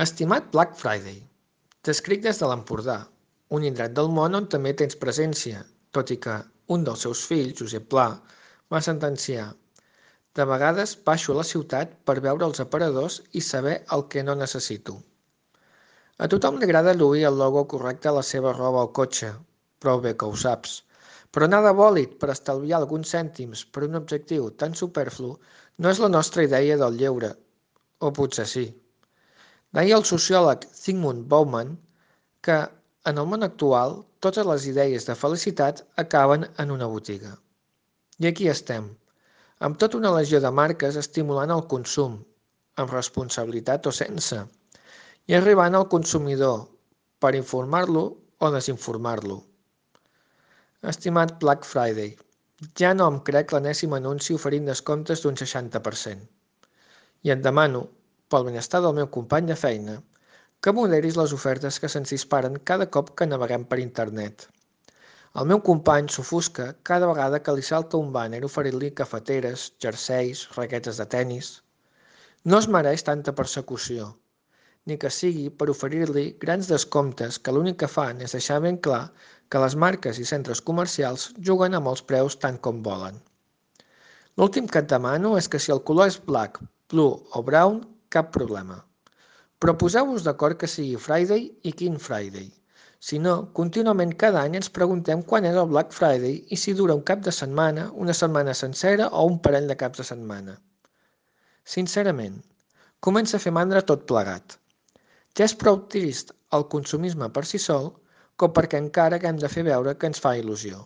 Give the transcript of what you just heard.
Estimat Black Friday, t'escric des de l'Empordà, un indret del món on també tens presència, tot i que un dels seus fills, Josep Pla, va sentenciar: de vegades baixo a la ciutat per veure els aparadors i saber el que no necessito. A tothom li agrada lluir el logo correcte a la seva roba o cotxe, prou bé que ho saps, però anar de bòlit per estalviar alguns cèntims per un objectiu tan superflu no és la nostra idea del lleure, o potser sí. Deia el sociòleg Zygmunt Bauman que, en el món actual, totes les idees de felicitat acaben en una botiga. I aquí estem, amb tota una legió de marques estimulant el consum, amb responsabilitat o sense, i arribant al consumidor per informar-lo o desinformar-lo. Estimat Black Friday, ja no em crec l'enèsim anunci oferint descomptes d'un 60%. I et demano, pel benestar del meu company de feina, que moderis les ofertes que se'ns disparen cada cop que naveguem per internet. El meu company s'ofusca cada vegada que li salta un bàner oferint-li cafeteres, jerseis, raquetes de tennis. No es mereix tanta persecució, ni que sigui per oferir-li grans descomptes que l'únic que fan és deixar ben clar que les marques i centres comercials juguen amb els preus tant com volen. L'últim que et demano és que si el color és black, blue o brown, cap problema. Però poseu-vos d'acord que sigui Friday i quin Friday. Si no, contínuament cada any ens preguntem quan és el Black Friday i si dura un cap de setmana, una setmana sencera o un parell de caps de setmana. Sincerament, comença a fer mandra tot plegat. Ja és prou trist el consumisme per si sol com perquè encara haguem de fer veure que ens fa il·lusió.